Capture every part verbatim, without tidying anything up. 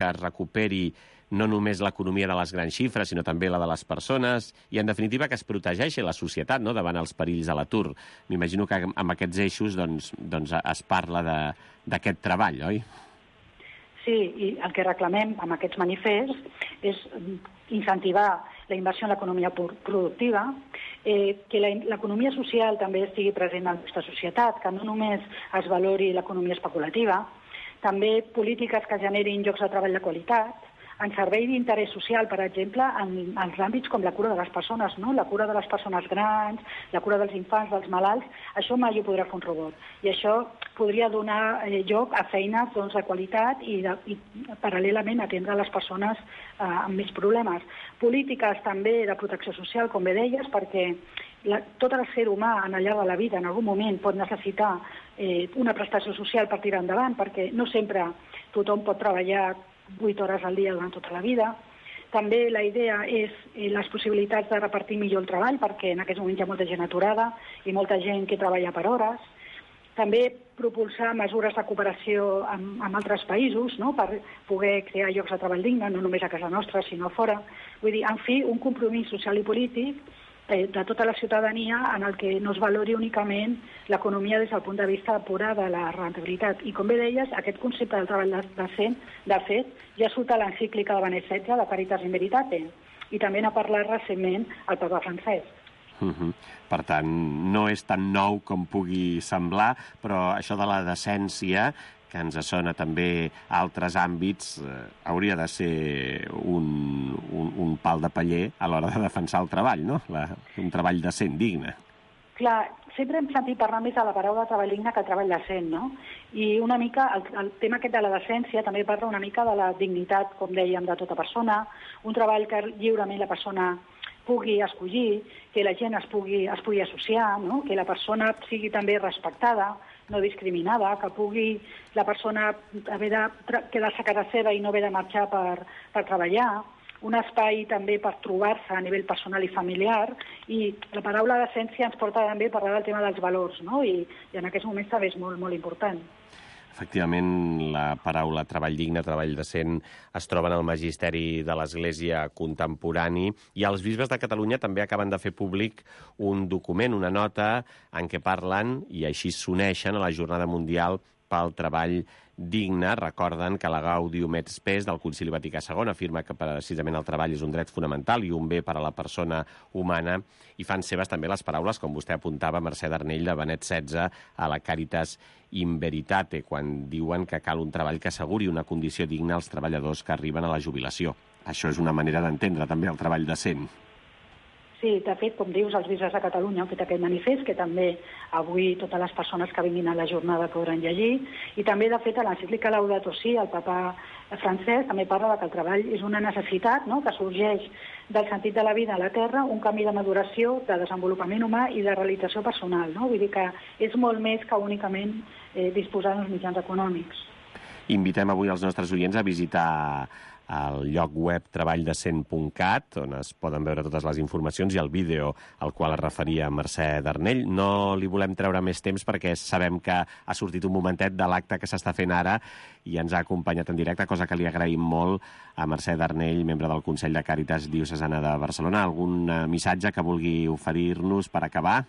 que es recuperi no només l'economia de les grans xifres, sinó també la de les persones, i en definitiva que es protegeixi la societat, no?, davant els perills de l'atur. M'imagino que amb aquests eixos doncs, doncs es parla d'aquest treball, oi? Sí, i el que reclamem amb aquests manifests és incentivar la inversió en l'economia productiva, eh, que l'economia social també estigui present en la nostra societat, que no només es valori l'economia especulativa, també polítiques que generin llocs de treball de qualitat, en servei d'interès social, per exemple, en els àmbits com la cura de les persones, no? La cura de les persones grans, la cura dels infants, dels malalts, això mai ho podrà fer un robot. I això podria donar eh, lloc a feines doncs, de qualitat i, de, i paral·lelament atendre les persones eh, amb més problemes. Polítiques també de protecció social, com bé deies, perquè la, tot el ser humà en el llarg de la vida en algun moment pot necessitar eh, una prestació social per tirar endavant, perquè no sempre tothom pot treballar vuit hores al dia durant tota la vida. També la idea és eh, les possibilitats de repartir millor el treball, perquè en aquests moments hi ha molta gent aturada i molta gent que treballa per hores. També propulsar mesures de cooperació amb, amb altres països, no?, per poder crear llocs de treball digne, no només a casa nostra, sinó fora. Vull dir, en fi, un compromís social i polític eh, de tota la ciutadania en el que no es valori únicament l'economia des del punt de vista pura de la rentabilitat. I com bé deies, aquest concepte del treball decent, de fet, ja surt a l'encíclica de Benet setze, de Caritas in Veritate, i també n'ha parlat recentment el papa francès. Uh-huh. Per tant, no és tan nou com pugui semblar, però això de la decència, que ens sona també a altres àmbits, eh, hauria de ser un, un, un pal de paller a l'hora de defensar el treball, no? La, un treball decent, digne. Clar, sempre hem sentit parlar més de la paraula treball digne que el treball decent, no? I una mica, el, el tema aquest de la decència també parla una mica de la dignitat, com dèiem, de tota persona, un treball que lliurement la persona pugui escollir, que la gent es pugui, es pugui associar, no? Que la persona sigui també respectada, no discriminada, que pugui la persona haver de quedar-se a casa seva i no haver de marxar per, per treballar, un espai també per trobar-se a nivell personal i familiar, i la paraula decència ens porta també a parlar del tema dels valors, no? I, i en aquests moments també és molt, molt important. Efectivament, la paraula treball digne, treball decent, es troba en el magisteri de l'Església contemporani, i els bisbes de Catalunya també acaben de fer públic un document, una nota, en què parlen, i així s'uneixen a la Jornada Mundial pel Treball Digne. Recorden que la Gaudium et Spes del Concili Vaticà segon afirma que precisament el treball és un dret fonamental i un bé per a la persona humana, i fan seves també les paraules, com vostè apuntava, Mercè Darnell, de Benet setze, a la Caritas in Veritate, quan diuen que cal un treball que asseguri una condició digna als treballadors que arriben a la jubilació. Això és una manera d'entendre també el treball decent. Sí, de fet, com dius, els bisbes de Catalunya han fet aquest manifest, que també avui totes les persones que vinguin a la jornada podran llegir, i també, de fet, a l'encíclica Laudato Si, el papa francès també parla que el treball és una necessitat, no?, que sorgeix del sentit de la vida a la Terra, un camí de maduració, de desenvolupament humà i de realització personal, no? Vull dir que és molt més que únicament eh, disposar d'uns mitjans econòmics. Invitem avui els nostres oients a visitar al lloc web treball decent punt cat, on es poden veure totes les informacions, i el vídeo al qual es referia Mercè Darnell. No li volem treure més temps perquè sabem que ha sortit un momentet de l'acte que s'està fent ara i ens ha acompanyat en directe, cosa que li agraïm molt a Mercè Darnell, membre del Consell de Càritas Diocesana de Barcelona. Algun missatge que vulgui oferir-nos per acabar?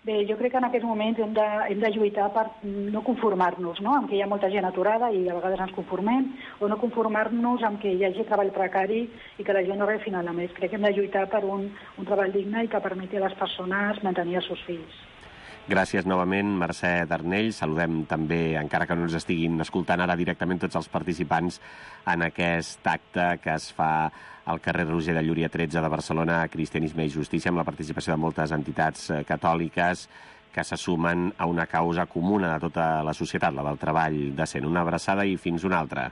Bé, jo crec que en aquests moments hem de, hem de lluitar per no conformar-nos, no?, amb que hi ha molta gent aturada i a vegades ens conformem, o no conformar-nos amb que hi hagi treball precari i que la gent no rebi final de mes. Crec que hem de lluitar per un, un treball digne i que permeti a les persones mantenir els seus fills. Gràcies novament, Mercè Darnell. Saludem també, encara que no ens estiguin escoltant ara directament, tots els participants en aquest acte que es fa al carrer Roger de Llúria tretze de Barcelona, Cristianisme i Justícia, amb la participació de moltes entitats catòliques que se sumen a una causa comuna de tota la societat, la del treball decent. Una abraçada i fins una altra.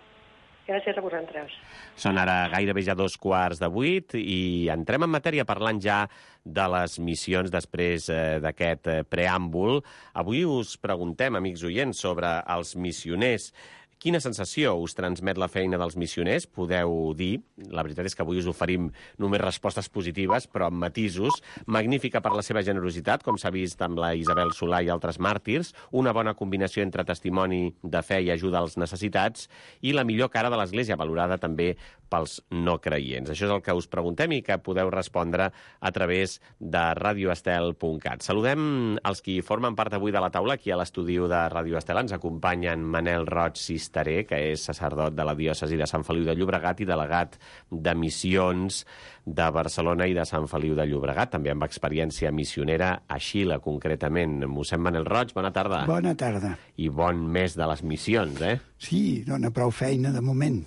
Gràcies a vosaltres. Són ara gairebé ja dos quarts de vuit i entrem en matèria parlant ja de les missions després eh, d'aquest eh, preàmbul. Avui us preguntem, amics oients, sobre els missioners Quina sensació us transmet la feina dels missioners? Podeu dir. La veritat és que avui us oferim només respostes positives, però amb matisos. Magnífica per la seva generositat, com s'ha vist amb la Isabel Solà i altres màrtirs, una bona combinació entre testimoni de fe i ajuda als necessitats, i la millor cara de l'Església, valorada també pels no creients. Això és el que us preguntem i que podeu respondre a través de radio estel punt cat. Saludem els qui formen part avui de la taula. Aquí a l'estudi de Radio Estel ens acompanyen Manel Roig Cisteré, que és sacerdot de la diòcesi de Sant Feliu de Llobregat i delegat de missions de Barcelona i de Sant Feliu de Llobregat, també amb experiència missionera a Xile, concretament. Mossèn Manel Roig, bona tarda. Bona tarda. I bon mes de les missions, eh? Sí, dona prou feina de moment.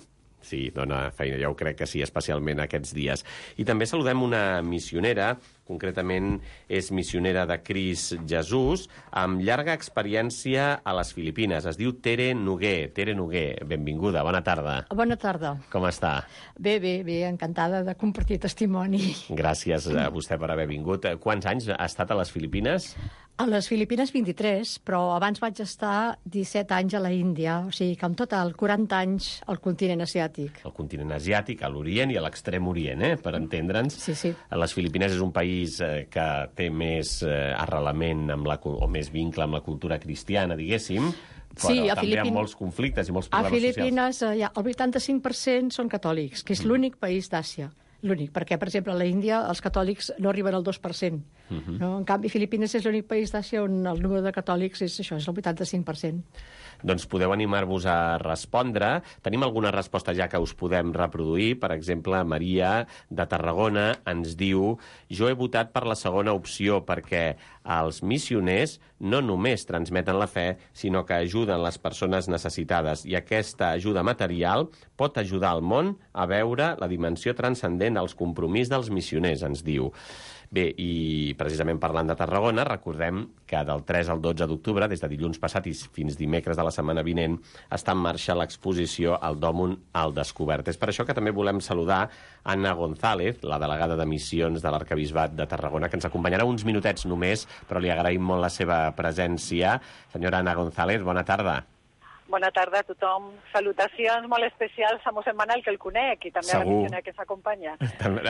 Sí, dona feina, ja ho crec que sí, especialment aquests dies. I també saludem una missionera, concretament és missionera de Crist Jesús, amb llarga experiència a les Filipines. Es diu Tere Noguer. Tere Noguer, benvinguda, bona tarda. Bona tarda. Com està? Bé, bé, bé, encantada de compartir testimoni. Gràcies a vostè per haver vingut. Quants anys ha estat a les Filipines? A les Filipines vint-i-tres, però abans vaig estar disset anys a la Índia, o sigui que en total quaranta anys al continent asiàtic. Al continent asiàtic, a l'Orient i a l'extrem Orient, eh, per entendre'ns. Sí, sí. Les Filipines és un país eh, que té més eh, arrelament amb la, o més vincle amb la cultura cristiana, diguéssim, però sí, a també Filipin... amb molts conflictes i molts A problemes Filipines socials. eh, ja, el vuitanta-cinc per cent són catòlics, que és mm. l'únic país d'Àsia. L'únic, perquè, per exemple, a la Índia els catòlics no arriben al dos per cent. Uh-huh. No? En canvi, Filipines és l'únic país d'Àsia on el número de catòlics és això, és el vuitanta-cinc per cent. Doncs podeu animar-vos a respondre. Tenim alguna resposta ja que us podem reproduir. Per exemple, Maria, de Tarragona, ens diu: jo he votat per la segona opció perquè els missioners no només transmeten la fe, sinó que ajuden les persones necessitades, i aquesta ajuda material pot ajudar el món a veure la dimensió transcendent dels compromís dels missioners, ens diu. Bé, i precisament parlant de Tarragona, recordem que del tres al dotze d'octubre, des de dilluns passat i fins dimecres de la setmana vinent, està en marxa l'exposició El Dòmun al Descobert. És per això que també volem saludar Anna González, la delegada de missions de l'Arquebisbat de Tarragona, que ens acompanyarà uns minutets només, però li agraïm molt la seva presència. Senyora Anna González, bona tarda. Bona tarda a tothom. Salutacions molt especials a mossèn Manel, que el conec, i també Segur. a la missionera que s'acompanya.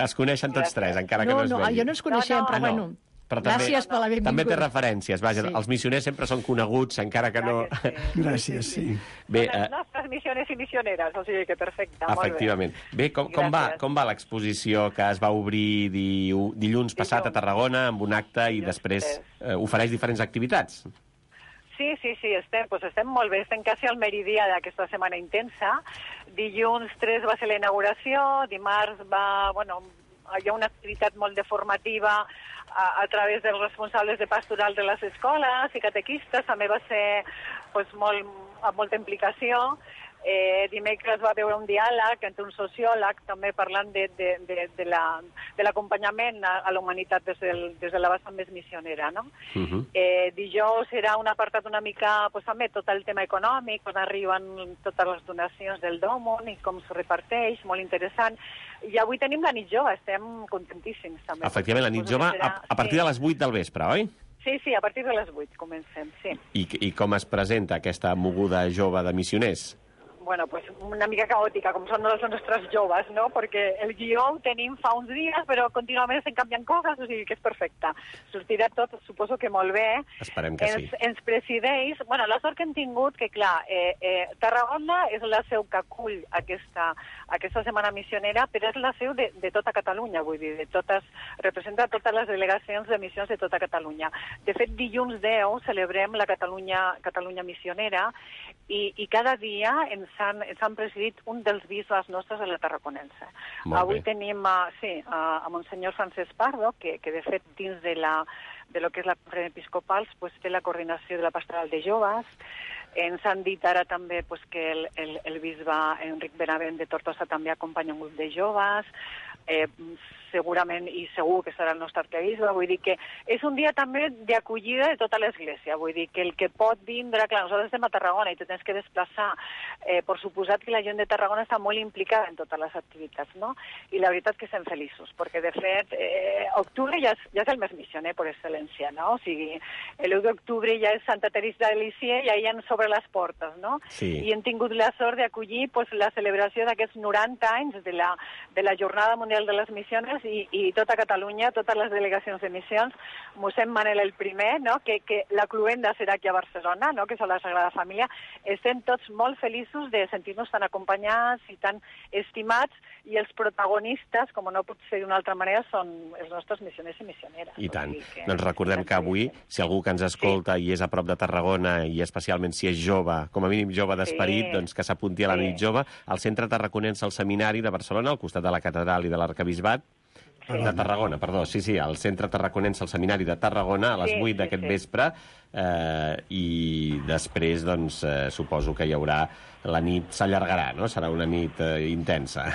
Es coneixen tots tres, encara que no, no es no, vegin. jo no ens coneixem, No, no. però Ah, no. bueno, Però també, gràcies per la benvinguda. també té referències. Vaja, Sí. els missioners sempre són coneguts, encara que no... Clar que sí. Gràcies, sí. Bé, Són les eh, nostres missiones i missioneres, o sigui que perfecte, molt bé. efectivament. Bé, com, com va, Gràcies. com va l'exposició que es va obrir diu, dilluns passat a Tarragona amb un acte i Dilluns després tres. eh, ofereix diferents activitats? Sí, sí, sí, estem, pues estem molt bé, estem quasi al meridià d'aquesta setmana intensa. Dilluns tres va ser la inauguració, dimarts va, bueno, hi ha una activitat molt de formativa a, a través dels responsables de pastoral de les escoles i catequistes, també va ser pues, molt, amb molta implicació. Eh, dimecres va haver un diàleg entre un sociòleg també parlant de, de, de, de la, de l'acompanyament a, a la humanitat des, del, des de la vessant més missionera, no? Uh-huh. Eh, dijous serà un apartat una mica, pues, també tot el tema econòmic, on arriben totes les donacions del Dòmun i com se reparteix, molt interessant. I avui tenim la nit jove, estem contentíssims també. Efectivament, la nit Suposo jove que serà- a, a partir sí. de les vuit del vespre, oi? Sí, sí, a partir de les vuit comencem, sí. I, I com es presenta aquesta moguda jove de missioners? Bueno, pues una mica caòtica, com són els nostres joves, no? Perquè el guió ho tenim fa uns dies, però contínuament se'n canvien coses, o sigui que és perfecte. Sortirà tot, suposo que molt bé. Esperem que ens, sí. Ens presideix... Bueno, la sort que hem tingut, que clar, eh, eh, Tarragona és la seu que acull aquesta, aquesta setmana missionera, però és la seu de, de tota Catalunya, vull dir, de totes, representa totes les delegacions de missions de tota Catalunya. De fet, dilluns deu celebrem la Catalunya, Catalunya missionera, i, i cada dia ens han, ens han presidit un dels bisbes nostres de la Tarraconense. Molt Avui bé. tenim a, sí, a, a Monsenyor Francesc Pardo, que, que de fet dins de, la, de lo que és la conferència episcopal pues, té la coordinació de la pastoral de joves. Ens han dit ara també pues, que el, el, el bisbe Enric Benavent de Tortosa també acompanya un grup de joves. eh, segurament i segur que serà el nostre arquebisbe, vull dir que és un dia també d'acollida de tota l'Església, vull dir que el que pot vindre, clar, nosaltres estem a Tarragona i te tens que desplaçar, eh, per suposat que la gent de Tarragona està molt implicada en totes les activitats, no? I la veritat que estem feliços, perquè de fet, eh, octubre ja és, ja és el mes missioner per excel·lència, no? O sigui, l'u d'octubre ja és Santa Teresa de Lisieux i ja ens obre les portes, no? Sí. I hem tingut la sort d'acollir pues, la celebració d'aquests noranta anys de la, de la Jornada Mundial de les Missions i, i tota Catalunya, totes les delegacions de missions, mossèn Manel el primer, no? que, que la cluenda serà aquí a Barcelona, no? que és la Sagrada Família, estem tots molt feliços de sentir-nos tan acompanyats i tan estimats, i els protagonistes, com no pot ser d'una altra manera, són els nostres missioners i missioneres. I tant. O sigui que... Doncs recordem que avui, si algú que ens escolta sí. i és a prop de Tarragona, i especialment si és jove, com a mínim jove d'esperit, sí. doncs que s'apunti a la sí. nit jove, al Centre Tarraconense al Seminari de Barcelona, al costat de la Catedral i de l'Arquebisbat, de Tarragona, perdó, sí, sí, al Centre Tarraconense, al Seminari de Tarragona, a les vuit sí, d'aquest sí, sí. vespre, eh, i després, doncs, eh, suposo que hi haurà... La nit s'allargarà, no? Serà una nit eh, intensa.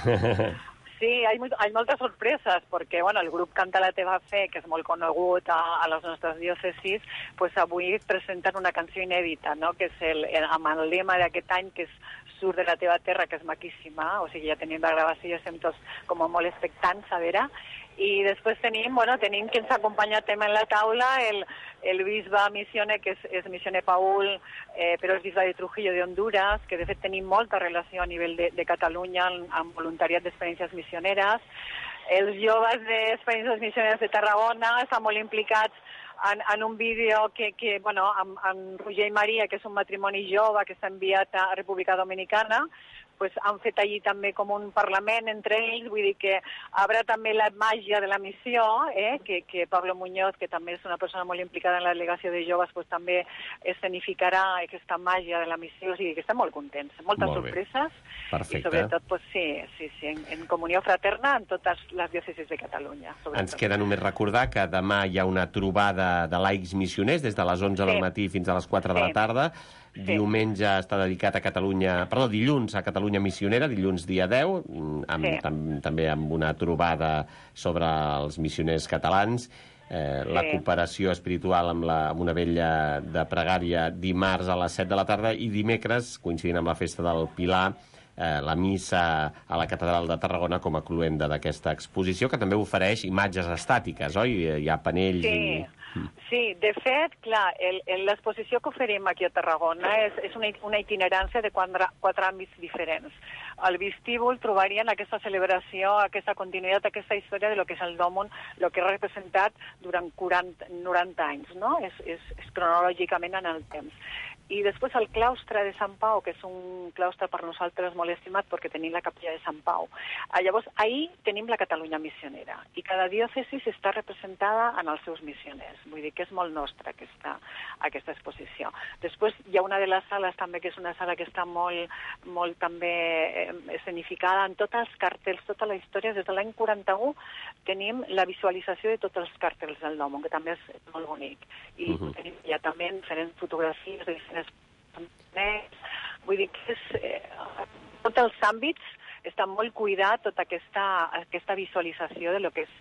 Sí, hay, muy, hay moltes sorpreses, perquè bueno, el grup Canta la teva fe, que és molt conegut a, a les nostres diòcesis, pues avui presenten una canció inèdita, no? que és el, el, amb el lema d'aquest any, que és Surt de la teva terra, que és maquíssima, o sigui, ja tenim la gravació i estem tots com molt expectants a veure. I després tenim, bueno, tenim que ens acompanya també en la taula el, el bisbe missioner, que és, és missioner Paul, eh, però és bisbe de Trujillo de Honduras, que de fet tenim molta relació a nivell de, de Catalunya amb voluntariat d'experiències missioneres. Els joves d'experiències missioneres de Tarragona estan molt implicats en, en un vídeo que, que bueno, amb, amb Roger i Maria, que és un matrimoni jove que està enviat a República Dominicana, pues han fet allí també com un parlament entre ells, vull dir que haurà també la màgia de la missió, eh? que, que Pablo Muñoz, que també és una persona molt implicada en la delegació de joves, pues també escenificarà aquesta màgia de la missió, o sigui que estem molt contents, moltes molt sorpreses, perfecte. I sobretot, pues, sí, sí, sí, en, en comunió fraterna en totes les diòcesis de Catalunya. Sobretot. Ens queda només recordar que demà hi ha una trobada de laics missioners des de les onze sí. del matí fins a les quatre sí. de la tarda. Sí. Diumenge està dedicat a Catalunya... Perdó, dilluns a Catalunya Missionera, dilluns dia deu, amb, sí. tam, també amb una trobada sobre els missioners catalans, eh, sí. la cooperació espiritual amb, la, amb una vella de pregària dimarts a les set de la tarda i dimecres, coincidint amb la festa del Pilar, eh, la missa a la Catedral de Tarragona com a cluenda d'aquesta exposició, que també ofereix imatges estàtiques, oi? Hi ha panells sí. i... Sí, de fet, clar, l'exposició que oferim aquí a Tarragona és, és una, una itinerància de quatre, quatre àmbits diferents. Al vestíbul trobarien aquesta celebració, aquesta continuïtat, aquesta història de lo que és el Dòmon, el que ha representat durant quaranta, noranta anys, no? És, és, és cronològicament en el temps. I després el claustre de Sant Pau, que és un claustre per nosaltres molt estimat perquè tenim la capella de Sant Pau. Llavors, ahir tenim la Catalunya missionera i cada diòcesi està representada en els seus missioners. Vull dir que és molt nostra aquesta, aquesta exposició. Després hi ha una de les sales també, que és una sala que està molt, molt també eh, escenificada en tots els cartells, tota la història. Des de l'any quaranta-u tenim la visualització de tots els cartells del Dòmon, que també és molt bonic. I uh-huh. tenim ja també diferents fotografies de vull dir que és, eh, tots els àmbits està molt cuidat tota aquesta, aquesta visualització de lo que és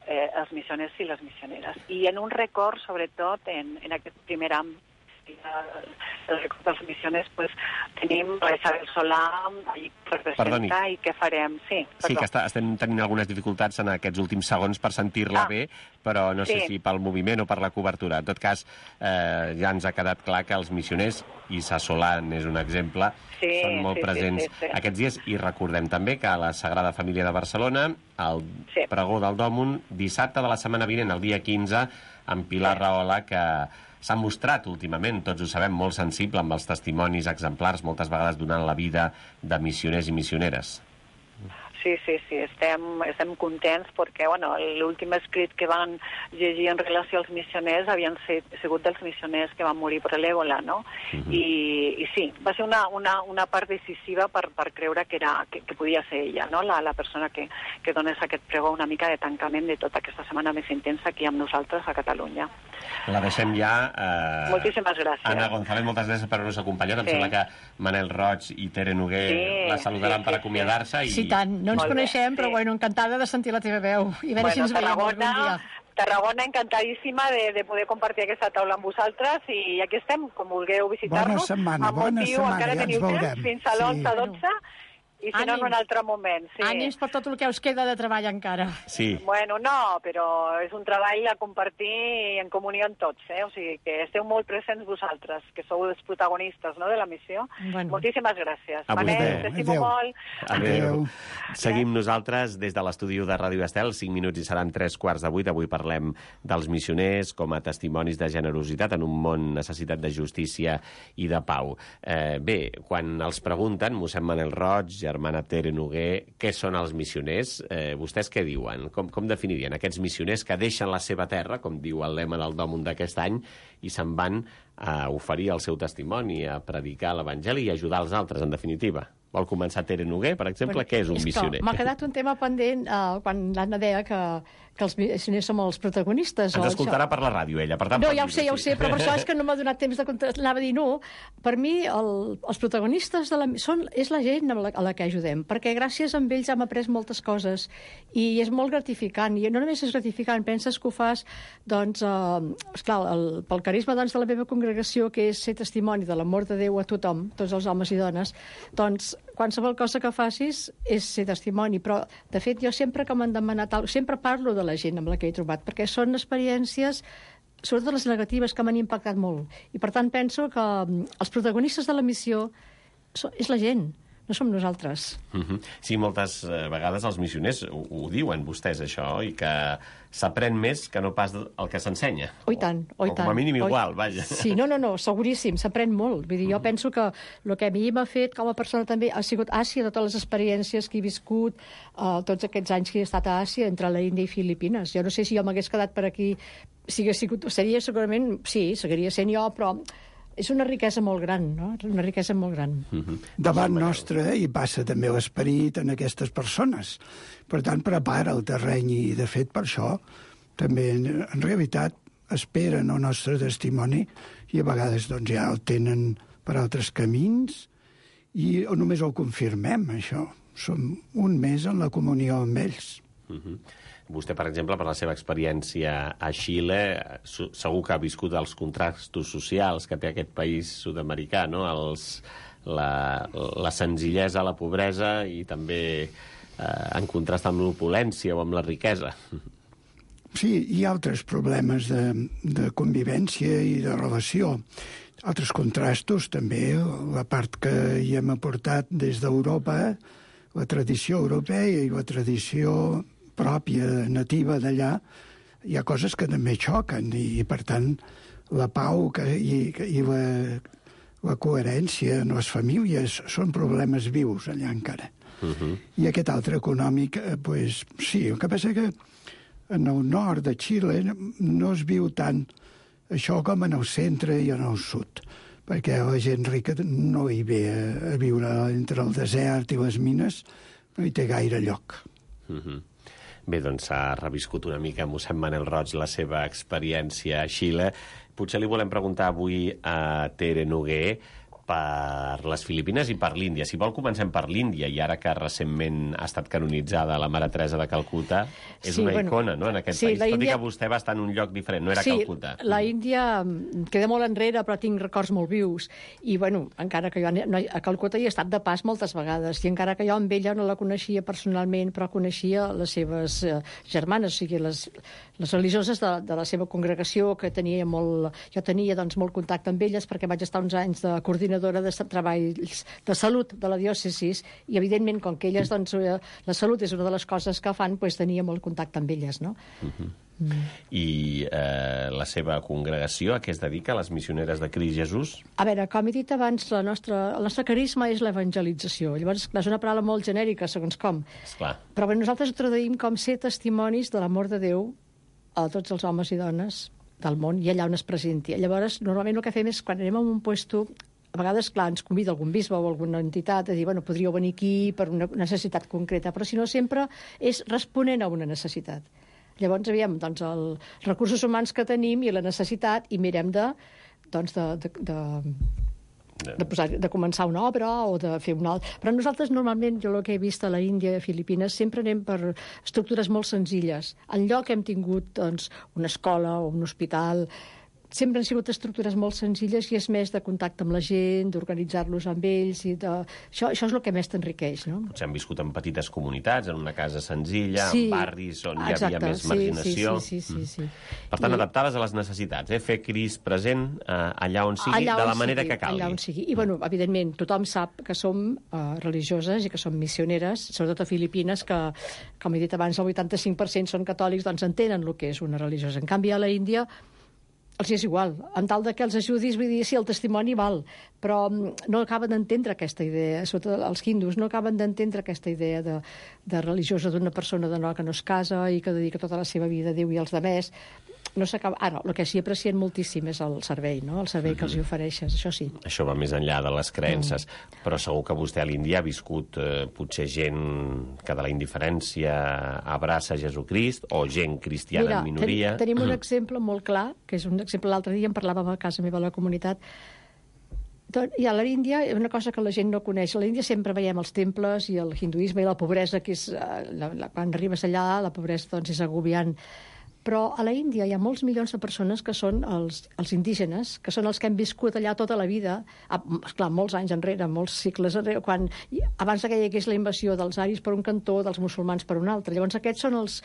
eh, els missioners i les missioneres. I en un record, sobretot, en, en aquest primer àmbit, el record dels missioners, pues, tenim la Isabel Solà allí per presentar i què farem. Sí, sí, que està, estem tenint algunes dificultats en aquests últims segons per sentir-la ah, bé, però no sé sí. si pel moviment o per la cobertura. En tot cas, eh, ja ens ha quedat clar que els missioners, i Sa Solà és un exemple, sí, són molt sí, presents sí, sí, sí. aquests dies, i recordem també que a la Sagrada Família de Barcelona, el sí. pregó del Dòmon, dissabte de la setmana vinent, el dia quinze, amb Pilar sí. Rahola, que s'ha mostrat últimament, tots ho sabem, molt sensible amb els testimonis exemplars, moltes vegades donant la vida de missioners i missioneres. Sí, sí, sí, estem, estem contents perquè bueno, l'últim escrit que van llegir en relació als missioners havien sigut dels missioners que van morir per l'èbola, no? Uh-huh. I, I sí, va ser una, una, una part decisiva per, per creure que, era, que, que podia ser ella, no? La, la persona que, que donés aquest pregó, una mica de tancament de tota aquesta setmana més intensa aquí amb nosaltres a Catalunya. La deixem ja. Eh... Moltíssimes gràcies. Anna González, moltes gràcies per haver-nos acompanyat. Sí. Em sembla que Manel Roig i Tere Noguer sí, la saludaran sí, per acomiadar-se. Sí, i... sí tant. No, ens Molt bé, coneixem, sí. però bueno, encantada de sentir la teva veu i a veure Bueno, si ens veiem algun Tarragona, dia. Tarragona encantadíssima de, de poder compartir aquesta taula amb vosaltres i aquí estem, com vulgueu visitar-nos. Bona setmana, Amb bona motiu, setmana, encara ja ens teniu temps, veurem. fins a l'onze a dotze, i si no, en Ànims. un altre moment. Sí. Ànims per tot el que us queda de treball encara. Sí. Bueno, no, però és un treball a compartir en comunió amb tots, eh? O sigui que esteu molt presents vosaltres, que sou els protagonistes, no?, de la missió. Bueno. Moltíssimes gràcies. A vostè. Manel, t'estimo Adéu. molt. Adéu. Adéu. Seguim nosaltres des de l'estudi de Ràdio Estel, cinc minuts i seran tres quarts de vuit. Avui parlem dels missioners com a testimonis de generositat en un món necessitat de justícia i de pau. Eh, bé, quan els pregunten, mossèn Manel Roig, germana Tere Noguer, què són els missioners? Eh, vostès què diuen? Com, com definirien aquests missioners que deixen la seva terra, com diu el lema del Dòmund d'aquest any, i se'n van a oferir el seu testimoni, a predicar l'Evangeli i ajudar els altres, en definitiva? Vol començar Tere Noguer, per exemple? Bueno, Què és un és missioner? M'ha quedat un tema pendent uh, quan l'Anna deia que, que els missioners som els protagonistes. Ens o escoltarà això. per la ràdio, ella. Per tant, No, pot ja ho sé, dir-ho, ja ho sí. sé, però per això és que no m'ha donat temps de contestar. Anava a dir no. Per mi, el, els protagonistes de la, són, és la gent a la, a la que ajudem, perquè gràcies a ells hem après moltes coses i és molt gratificant. I no només és gratificant, penses que ho fas, doncs, eh, esclar, el, pel carisma doncs, de la meva congregació, que és ser testimoni de l'amor de Déu a tothom, tots els homes i dones, doncs qualsevol cosa que facis és ser testimoni, però de fet jo sempre que m'han demanat alguna cosa, sempre parlo de la gent amb la que he trobat, perquè són experiències, sobretot les negatives, que m'han impactat molt. I per tant penso que els protagonistes de la missió so, és la gent, no som nosaltres. Uh -huh. Sí, moltes eh, vegades els missioners ho, ho diuen vostès, això, i que s'aprèn més que no pas el que s'ensenya. Oh, i tant, oh, i o tant. com a mínim Oh, igual, vaja. Sí, no, no, no, seguríssim, s'aprèn molt. Vull dir, jo penso que el que a mi m'ha fet com a persona també ha sigut Àsia, totes les experiències que he viscut, eh, tots aquests anys que he estat a Àsia, entre la Índia i Filipines. Jo no sé si jo m'hagués quedat per aquí, si hagués sigut, seria segurament, sí, seguiria sent jo, però és una riquesa molt gran, no? Una riquesa molt gran. Uh -huh. Davant nostre hi passa també l'esperit en aquestes persones. Per tant, prepara el terreny i, de fet, per això també, en, en realitat, esperen el nostre testimoni i a vegades doncs, ja el tenen per altres camins i o només el confirmem, això. Som un mes en la comunió amb ells. Uh -huh. Vostè, per exemple, per la seva experiència a Xile, segur que ha viscut els contrastos socials que té aquest país sud-americà, no? Els, la, la senzillesa, la pobresa i també eh, en contrast amb l'opulència o amb la riquesa. Sí, hi ha altres problemes de, de convivència i de relació. Altres contrastos, també, la part que hi hem aportat des d'Europa, la tradició europea i la tradició pròpia, nativa d'allà, hi ha coses que també xoquen i, per tant, la pau que, i, i la, la coherència en les famílies són problemes vius allà encara. Uh -huh. I aquest altre econòmic, eh, pues, sí, el que passa que en el nord de Xile no es viu tant això com en el centre i en el sud, perquè la gent rica no hi ve a, a viure entre el desert i les mines, no hi té gaire lloc. Uh -huh. Bé, doncs s'ha reviscut una mica mossèn Manel Roig la seva experiència a Xile. Potser li volem preguntar avui a Tere Noguer per les Filipines i per l'Índia. Si vol, comencem per l'Índia, i ara que recentment ha estat canonitzada la Mare Teresa de Calcuta, és Sí, una bueno, icona, no?, en aquest sí, país. la Tot Índia- i que vostè va estar en un lloc diferent, no era sí, Calcuta. la Índia mm, queda molt enrere, però tinc records molt vius. I, bueno, encara que jo no, a Calcuta hi he estat de pas moltes vegades, i encara que jo amb ella no la coneixia personalment, però coneixia les seves eh, germanes, o sigui, les, les religioses de, de la seva congregació, que tenia molt... Jo tenia, doncs, molt contacte amb elles, perquè vaig estar uns anys de coordinadora de treballs de salut de la diòcesis, i, evidentment, com que elles, doncs, eh, la salut és una de les coses que fan, doncs tenia molt contacte amb elles, no? Uh-huh. Mm. I eh, la seva congregació, a què es dedica, les missioneres de Crist Jesús? A veure, com he dit abans, la nostra, el nostre carisma és l'evangelització. Llavors, és una paraula molt genèrica, segons com. Esclar. Però bé, nosaltres ho traduïm com ser testimonis de l'amor de Déu a tots els homes i dones del món i allà on es presenti. Llavors, normalment el que fem és, quan anem a un puesto, a vegades, clar, ens convida algun bisbe o alguna entitat a dir, bueno, podríeu venir aquí per una necessitat concreta, però si no, sempre és responent a una necessitat. Llavors, aviam, doncs, els recursos humans que tenim i la necessitat, i mirem de, doncs, de, de, de de, posar, de començar una obra o de fer una altra. Però nosaltres normalment, jo el que he vist a la Índia i a Filipines, sempre anem per estructures molt senzilles. En lloc hem tingut doncs, una escola o un hospital, sempre han sigut estructures molt senzilles i és més de contacte amb la gent, d'organitzar-los amb ells. I de... això, això és el que més t'enriqueix, no? Potser han viscut en petites comunitats, en una casa senzilla, sí, en barris on hi exacte, havia més sí, marginació. Sí, sí, sí, sí, sí. Per tant, I... adaptades a les necessitats, eh? Fer Crist present eh, allà on sigui, allà de la on manera sigui, que calgui. Allà on sigui. I, bueno, evidentment, tothom sap que som uh, religioses i que som missioneres, sobretot a Filipines, que, com he dit abans, el vuitanta-cinc per cent són catòlics, doncs entenen el que és una religiosa. En canvi, a la Índia els és igual, en tal de que els ajudis, vull dir, sí, el testimoni val, però no acaben d'entendre aquesta idea, sobretot els hindus no acaben d'entendre aquesta idea de, de religiosa d'una persona de no, que no es casa i que dedica tota la seva vida a Déu i als demés. No s'acaba... Ara, el que s'hi aprecien moltíssim és el servei, no? El servei que els hi ofereixes, això sí. Això va més enllà de les creences. Mm. Però segur que vostè a l'Índia ha viscut eh, potser gent que de la indiferència abraça Jesucrist o gent cristiana Mira, en minoria. Ten, tenim un exemple molt clar, que és un exemple, l'altre dia en parlàvem a casa meva a la comunitat. I a l'Índia, una cosa que la gent no coneix, a l'Índia sempre veiem els temples i el hinduisme i la pobresa, que és, la, la, quan arribes allà, la pobresa doncs, és agobiant. Però a la Índia hi ha molts milions de persones que són els, els indígenes, que són els que han viscut allà tota la vida, esclar, molts anys enrere, molts cicles enrere, quan, abans que hi hagués la invasió dels aris per un cantó, dels musulmans per un altre. Llavors aquests són els,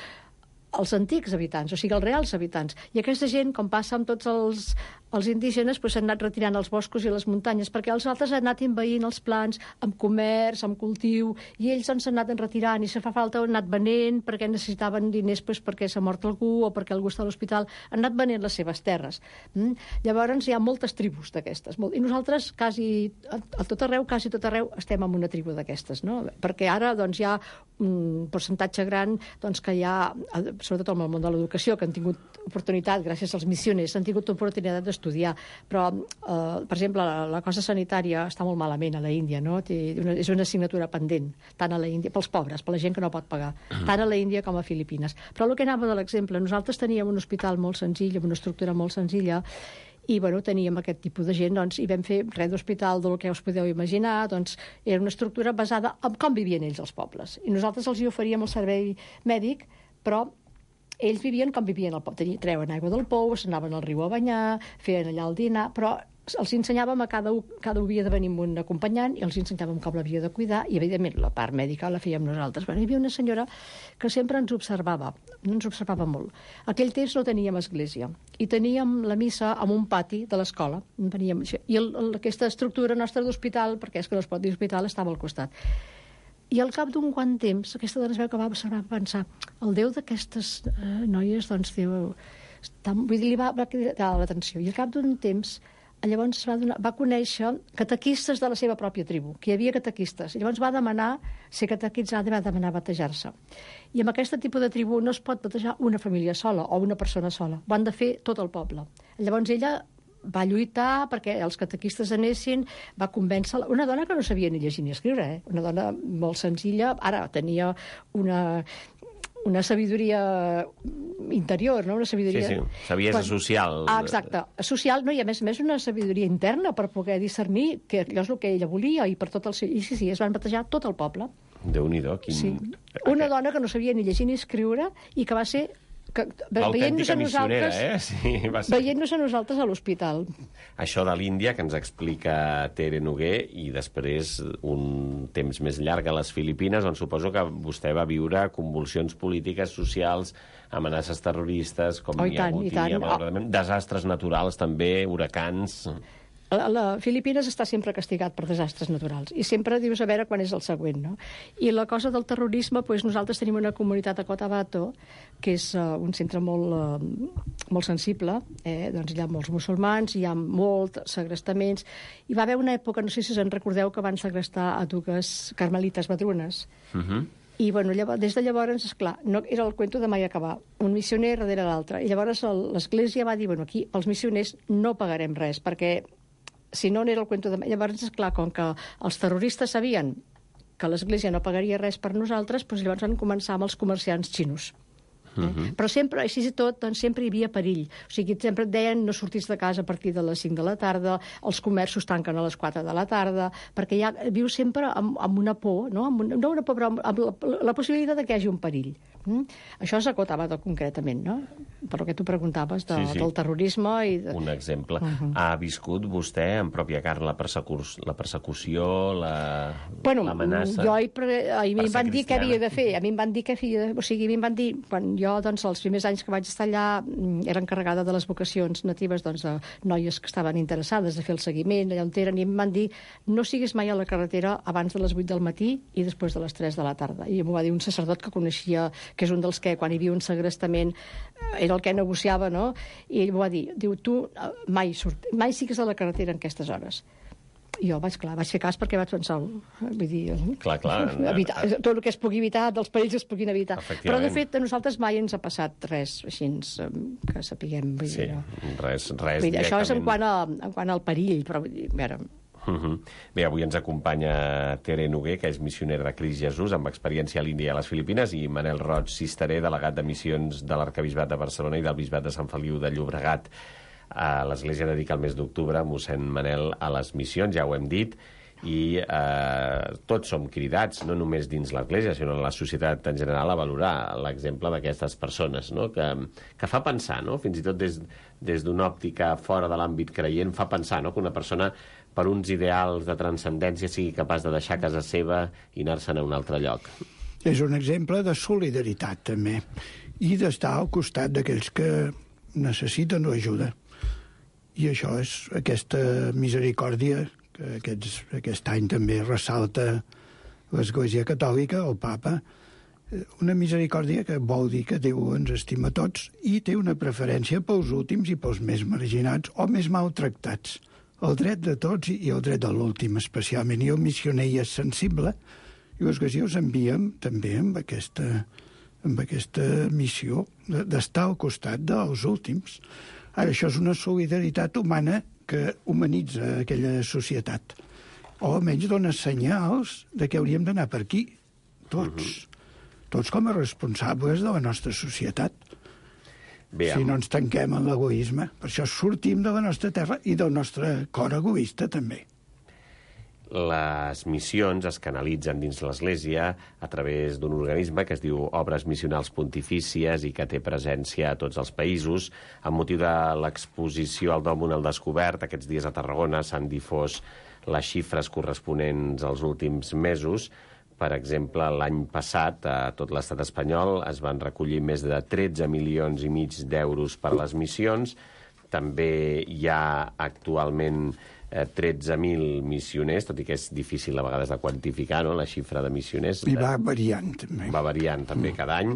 els antics habitants, o sigui, els reals habitants. I aquesta gent, com passa amb tots els, els indígenes, doncs s'han anat retirant als boscos i a les muntanyes, perquè els altres han anat envaint els plans amb comerç, amb cultiu, i ells doncs, s'han anat retirant, i si fa falta han anat venent perquè necessitaven diners doncs, perquè s'ha mort algú o perquè algú està a l'hospital, han anat venent les seves terres. Mm? Llavors hi ha moltes tribus d'aquestes, molt... i nosaltres quasi, a, a tot arreu, quasi tot arreu, estem en una tribu d'aquestes, no? Perquè ara doncs, hi ha un percentatge gran doncs, que hi ha, sobretot en el món de l'educació, que han tingut oportunitat, gràcies als missioners, han tingut oportunitat d'estudiar, però, eh, per exemple, la, la cosa sanitària està molt malament a la Índia, no? Té una, és una assignatura pendent, tant a la Índia, pels pobres, per la gent que no pot pagar, tant a la Índia com a Filipines. Però el que anava de l'exemple, nosaltres teníem un hospital molt senzill, amb una estructura molt senzilla, i bueno, teníem aquest tipus de gent, doncs, i vam fer res d'hospital del que us podeu imaginar, doncs era una estructura basada en com vivien ells els pobles. I nosaltres els hi oferíem el servei mèdic, però ells vivien com vivien al poble. Treuen aigua del pou, s'anaven al riu a banyar, feien allà el dinar, però els ensenyàvem a cada un, cada un havia de venir amb un acompanyant i els ensenyàvem com l'havia de cuidar i, evidentment, la part mèdica la fèiem nosaltres. Bueno, hi havia una senyora que sempre ens observava, ens observava molt. Aquell temps no teníem església i teníem la missa en un pati de l'escola. I el, el, aquesta estructura nostra d'hospital, perquè és que no es pot dir hospital, estava al costat. I al cap d'un quant temps, aquesta dona es veu que va observar, va pensar, el Déu d'aquestes eh, noies, doncs, Déu, està, vull dir, li va, va cridar l'atenció. I al cap d'un temps, llavors va, donar, va conèixer catequistes de la seva pròpia tribu, que hi havia catequistes. I llavors va demanar ser catequitzada i va demanar batejar-se. I amb aquest tipus de tribu no es pot batejar una família sola o una persona sola. Ho han de fer tot el poble. Llavors ella va lluitar perquè els catequistes anessin, va convèncer una dona que no sabia ni llegir ni escriure, eh? Una dona molt senzilla, ara tenia una... una sabidoria interior, no? Una sabidoria... Sí, sí, saviesa social. Ah, exacte. Social, no? I a més a més una sabidoria interna per poder discernir que allò és el que ella volia i per tot el seu... I sí, sí, es van batejar tot el poble. Déu-n'hi-do, quin... Sí. Una dona que no sabia ni llegir ni escriure i que va ser... Que, l'autèntica missionera, eh? Sí, va ser... Veient-nos a nosaltres a l'hospital. Això de l'Índia, que ens explica Tere Noguer, i després un temps més llarg a les Filipines, on suposo que vostè va viure convulsions polítiques, socials, amenaces terroristes, com oh, hi ha hagut, i tant. Oh. Desastres naturals, també, huracans... La, la Filipines està sempre castigat per desastres naturals i sempre dius a veure quan és el següent, no? I la cosa del terrorisme, doncs nosaltres tenim una comunitat a Cotabato, que és uh, un centre molt, uh, molt sensible, eh? Doncs hi ha molts musulmans, hi ha molts segrestaments. Hi va haver una època, no sé si us en recordeu, que van segrestar a dues carmelites madrones. Uh -huh. I bueno, llavors, des de llavors, esclar, no, era el cuento de mai acabar. Un missioner darrere l'altre. I llavors l'Església va dir, bueno, aquí els missioners no pagarem res, perquè si no n'era el cuento de... Llavors, esclar, com que els terroristes sabien que l'Església no pagaria res per nosaltres, doncs llavors van començar amb els comerciants xinos. Eh? Uh-huh. Però sempre, així i tot, doncs, sempre hi havia perill. O sigui, sempre et deien no sortis de casa a partir de les cinc de la tarda, els comerços tanquen a les quatre de la tarda, perquè ja vius sempre amb, amb una por, no? Amb una, no una por, però amb, amb la, la possibilitat de que hi hagi un perill. Mm? Això s'acotava concretament, no? Per el que tu preguntaves de, sí, sí. del terrorisme i... De... Un exemple. Uh-huh. Ha viscut vostè en pròpia carn la, persecu... la persecució, la... bueno, l'amenaça? Jo hi pre... a mi em van dir què havia de fer. A mi em van dir què havia de... O sigui, a mi em van dir... Quan jo, doncs, els primers anys que vaig estar allà, era encarregada de les vocacions natives, doncs, de noies que estaven interessades a fer el seguiment, allà on eren, i em van dir no siguis mai a la carretera abans de les vuit del matí i després de les tres de la tarda. I m'ho va dir un sacerdot que coneixia, que és un dels que, quan hi havia un segrestament, era el que negociava, no? I ell m'ho va dir, diu, tu mai, surt, mai sigues a la carretera en aquestes hores. I jo vaig, clar, vaig fer cas perquè vaig pensar, vull dir, clar, clar, evitar, tot el que es pugui evitar, dels perills es puguin evitar. Però, de fet, a nosaltres mai ens ha passat res així que sapiguem. Vull sí, dir, res, res vull dir, això és en quant, a, en quant al perill, però vull dir, a veure... Uh -huh. Bé, avui ens acompanya Tere Noguer, que és missionera de Crist Jesús, amb experiència a l'Índia i a les Filipines, i Manel Roig Cisteré, delegat de missions de l'Arquebisbat de Barcelona i del Bisbat de Sant Feliu de Llobregat. A l'Església dedica el mes d'octubre, mossèn Manel, a les missions, ja ho hem dit, i eh, tots som cridats, no només dins l'Església, sinó en la societat en general, a valorar l'exemple d'aquestes persones, no? que, que fa pensar, no? Fins i tot des, des d'una òptica fora de l'àmbit creient, fa pensar, no? Que una persona per uns ideals de transcendència sigui capaç de deixar casa seva i anar-se'n a un altre lloc. És un exemple de solidaritat, també, i d'estar al costat d'aquells que necessiten ajuda. I això és aquesta misericòrdia que aquests, aquest any també ressalta l'Església Catòlica, el Papa, una misericòrdia que vol dir que Déu ens estima a tots i té una preferència pels últims i pels més marginats o més maltractats. El dret de tots i el dret de l'últim, especialment. I el missioner hi és sensible, i l'Església us enviem també amb aquesta, amb aquesta missió d'estar al costat dels últims. Ara, això és una solidaritat humana que humanitza aquella societat. O almenys dona senyals de que hauríem d'anar per aquí, tots. Uh-huh. Tots com a responsables de la nostra societat. Bé, si no ens tanquem en l'egoisme. Per això sortim de la nostra terra i del nostre cor egoista, també. Les missions es canalitzen dins l'Església a través d'un organisme que es diu Obres Missionals Pontifícies i que té presència a tots els països. Amb motiu de l'exposició al Dòmon al Descobert, aquests dies a Tarragona s'han difós les xifres corresponents als últims mesos. Per exemple, l'any passat, a tot l'estat espanyol, es van recollir més de tretze milions i mig d'euros per les missions. També hi ha actualment tretze mil missioners, tot i que és difícil a vegades de quantificar, no?, la xifra de missioners. I va variant, també. Va variant, també, cada any.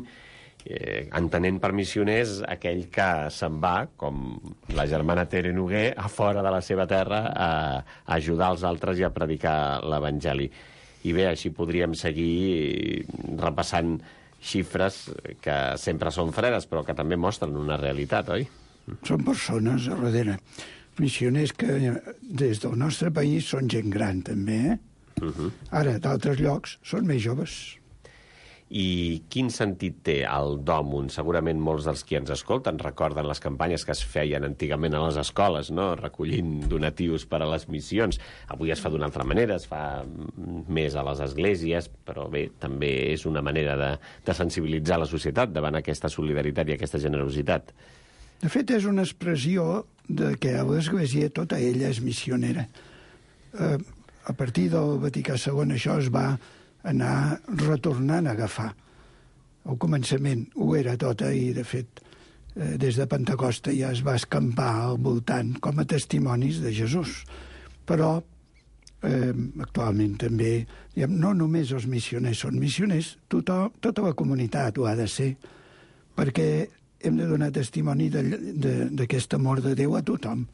Eh, entenent per missioners aquell que se'n va, com la germana Tere Noguer, a fora de la seva terra a, a ajudar els altres i a predicar l'Evangeli. I bé, així podríem seguir repassant xifres que sempre són fredes, però que també mostren una realitat, oi? Són persones a darrere. Missioners que des del nostre país són gent gran, també, eh? Uh-huh. Ara, d'altres llocs, són més joves. I quin sentit té el Dòmon? Segurament molts dels qui ens escolten recorden les campanyes que es feien antigament a les escoles, no?, recollint donatius per a les missions. Avui es fa d'una altra manera, es fa més a les esglésies, però bé, també és una manera de, de sensibilitzar la societat davant aquesta solidaritat i aquesta generositat. De fet, és una expressió de que l'Església tota ella és missionera. Eh, a partir del Vaticà segon això es va anar retornant a agafar. Al començament ho era tota i, de fet, eh, des de Pentecosta ja es va escampar al voltant com a testimonis de Jesús. Però eh, actualment també, diguem, no només els missioners són missioners, tothom, tota la comunitat ho ha de ser, perquè hem de donar testimoni d'aquest amor de Déu a tothom.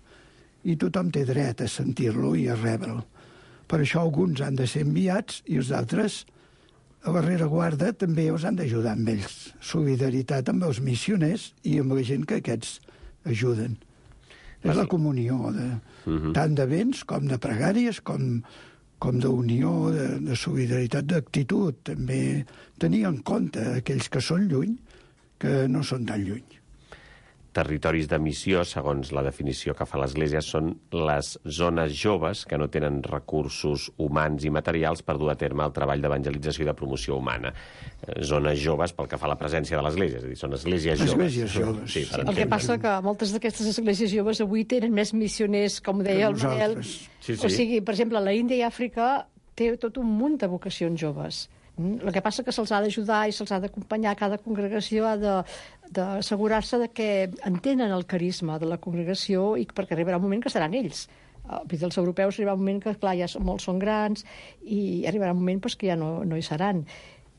I tothom té dret a sentir-lo i a rebre'l. Per això alguns han de ser enviats i els altres, a la rereguarda, també els han d'ajudar amb ells. Solidaritat amb els missioners i amb la gent que aquests ajuden. És la comunió de, uh-huh. tant de béns com de pregàries, com, com d'unió, de, de solidaritat, d'actitud. També tenir en compte aquells que són lluny que no són tan lluny. Territoris de missió, segons la definició que fa l'Església, són les zones joves que no tenen recursos humans i materials per dur a terme el treball d'evangelització i de promoció humana. Zones joves pel que fa a la presència de l'Església, és a dir, són esglésies joves. Esglésies joves. Sí, el que passa que moltes d'aquestes esglésies joves avui tenen més missioners, com deia el Manel. Sí, sí. O sigui, per exemple, la Índia i Àfrica té tot un munt de vocacions joves. El que passa que se'ls ha d'ajudar i se'ls ha d'acompanyar. Cada congregació ha d'assegurar-se de, de que entenen el carisma de la congregació i perquè arribarà un moment que seran ells. Els europeus arribarà un moment que, clar, ja molts són grans i arribarà un moment pues, que ja no, no hi seran.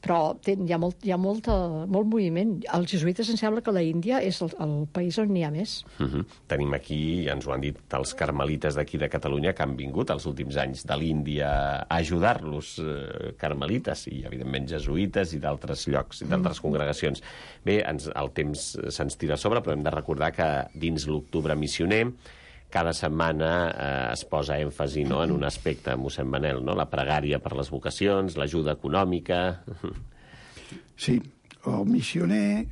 Però hi ha, molt, hi ha molta, molt moviment. Els jesuïtes em sembla que la Índia és el, el país on n'hi ha més. Uh -huh. Tenim aquí, ja ens ho han dit, els carmelites d'aquí de Catalunya que han vingut els últims anys de l'Índia a ajudar-los, eh, carmelites i, evidentment, jesuïtes i d'altres llocs, i d'altres mm. congregacions. Bé, ens, el temps se'ns tira a sobre, però hem de recordar que dins l'Octubre Missioner cada setmana eh, es posa èmfasi, no?, en un aspecte, mossèn Manel, no?, la pregària per les vocacions, l'ajuda econòmica... Sí, el missioner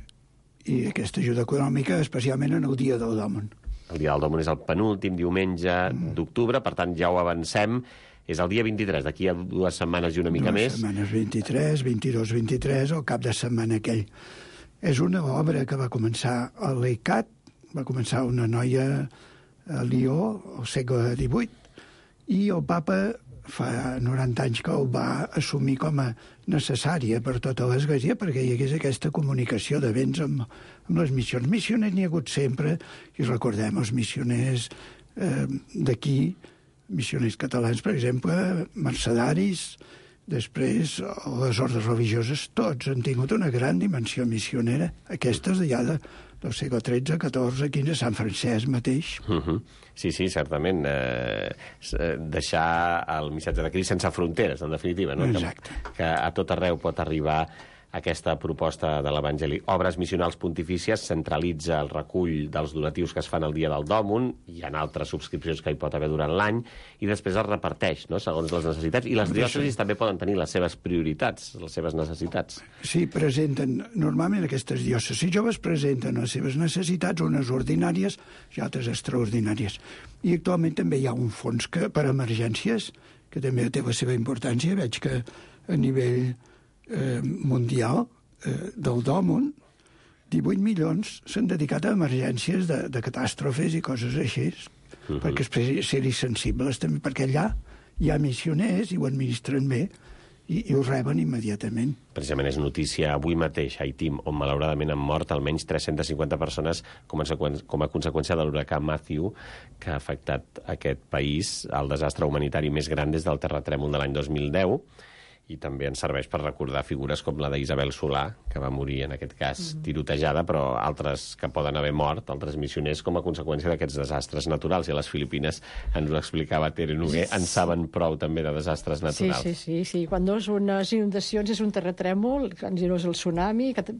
i aquesta ajuda econòmica, especialment en el dia del Dòmon. El dia del Dòmon és el penúltim diumenge mm. d'octubre, per tant, ja ho avancem. És el dia vint-i-tres, d'aquí a dues setmanes i una mica dues més. Dues setmanes, vint-i-tres, vint-i-dos, vint-i-tres, el cap de setmana aquell. És una obra que va començar a l'E C A T, va començar una noia a Lió, al segle divuit, i el papa fa noranta anys que el va assumir com a necessària per tota l'Església perquè hi hagués aquesta comunicació de béns amb, amb les missions. Missioners n'hi ha hagut sempre, i recordem els missioners eh, d'aquí, missioners catalans, per exemple, mercedaris, després les ordres religioses, tots han tingut una gran dimensió missionera, aquestes ja de del segle tretze, catorze, quinze, Sant Francesc mateix. Uh -huh. Sí, sí, certament. Eh, deixar el missatge de Crist sense fronteres, en definitiva, no? Exacte. Que, que a tot arreu pot arribar aquesta proposta de l'Evangeli. Obres Missionals Pontifícies centralitza el recull dels donatius que es fan el dia del Dòmon, hi ha altres subscripcions que hi pot haver durant l'any, i després es reparteix, no?, segons les necessitats. I les diòcesis també poden tenir les seves prioritats, les seves necessitats. Sí, presenten, normalment aquestes diòcesis joves presenten les seves necessitats, unes ordinàries i altres extraordinàries. I actualment també hi ha un fons que, per emergències, que també té la seva importància. Veig que a nivell Eh, mundial eh, del Dòmon, divuit milions s'han dedicat a emergències de, de catàstrofes i coses així, uh-huh. perquè és ser-hi sensibles també, perquè allà hi ha missioners i ho administren bé i, i ho reben immediatament. Precisament és notícia avui mateix a Haití, on malauradament han mort almenys tres-centes cinquanta persones com a, com a conseqüència de l'huracà Matthew, que ha afectat aquest país, el desastre humanitari més gran des del terratrèmol de l'any dos mil deu, i també ens serveix per recordar figures com la d'Isabel Solà, que va morir, en aquest cas, tirotejada, però altres que poden haver mort, altres missioners, com a conseqüència d'aquests desastres naturals. I a les Filipines, ens ho explicava Tere Noguer, en saben prou també de desastres naturals. Sí, sí, sí. sí. Quan no és unes inundacions és un terratrèmol, quan no és el tsunami... Que...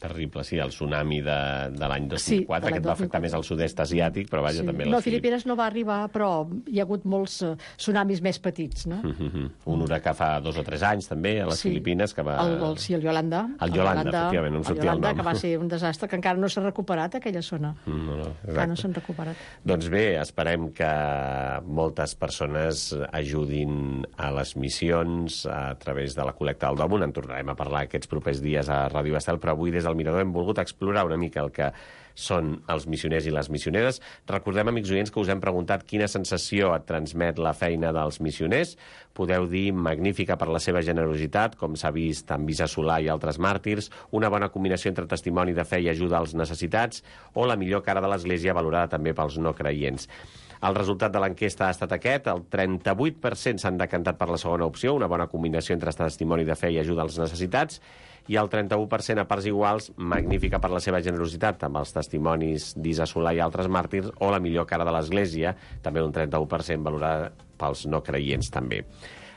Terrible, sí, el tsunami de, de l'any dos mil quatre, sí, que et va afectar més al sud-est asiàtic, però vaja, sí. també... No, Filipines no va arribar, però hi ha hagut molts uh, tsunamis més petits, no? Mm -hmm. Un huracà fa dos o tres anys, també, a les sí. Filipines, que va... El, el, sí, el Yolanda. El Yolanda, el Yolanda efectivament, no em sortia el, Yolanda, el nom. Que va ser un desastre, que encara no s'ha recuperat, aquella zona. Mm, no, no, encara no s'han recuperat. Doncs bé, esperem que moltes persones ajudin a les missions a través de la col·lecta del Dòmon. En tornarem a parlar aquests propers dies a Ràdio Estel, però avui des del Mirador hem volgut explorar una mica el que són els missioners i les missioneres. Recordem, amics oients, que us hem preguntat quina sensació et transmet la feina dels missioners. Podeu dir magnífica per la seva generositat, com s'ha vist en Visa Solà i altres màrtirs, una bona combinació entre testimoni de fe i ajuda als necessitats, o la millor cara de l'Església, valorada també pels no creients. El resultat de l'enquesta ha estat aquest, el trenta-vuit per cent s'han decantat per la segona opció, una bona combinació entre testimoni de fe i ajuda als necessitats, i el trenta-u per cent a parts iguals, magnífica per la seva generositat, amb els testimonis d'Isa Solà i altres màrtirs, o la millor cara de l'Església, també un trenta-u per cent valorada pels no creients també.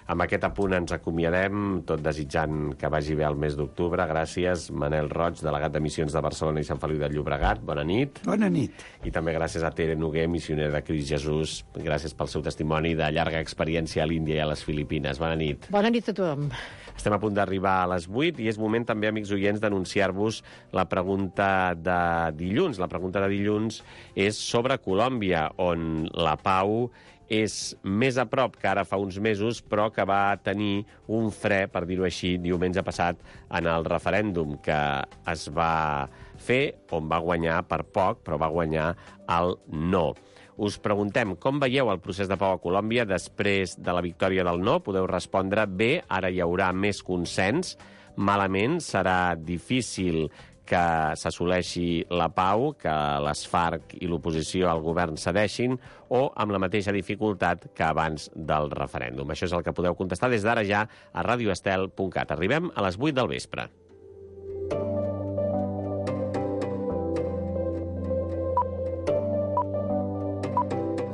Amb aquest apunt ens acomiadem, tot desitjant que vagi bé el mes d'octubre. Gràcies, Manel Roig, delegat de Missions de Barcelona i Sant Feliu de Llobregat. Bona nit. Bona nit. I també gràcies a Tere Noguer, missionera de Crist Jesús. Gràcies pel seu testimoni de llarga experiència a l'Índia i a les Filipines. Bona nit. Bona nit a tothom. Estem a punt d'arribar a les vuit i és moment també, amics oients, d'anunciar-vos la pregunta de dilluns. La pregunta de dilluns és sobre Colòmbia, on la pau és més a prop que ara fa uns mesos, però que va tenir un fre, per dir-ho així, diumenge passat en el referèndum que es va fer, on va guanyar per poc, però va guanyar el no. Us preguntem com veieu el procés de pau a Colòmbia després de la victòria del no. Podeu respondre bé, ara hi haurà més consens. Malament, serà difícil que s'assoleixi la pau, que les FARC i l'oposició al govern cedeixin, o amb la mateixa dificultat que abans del referèndum. Això és el que podeu contestar des d'ara ja a radio estel punt cat. Arribem a les vuit del vespre.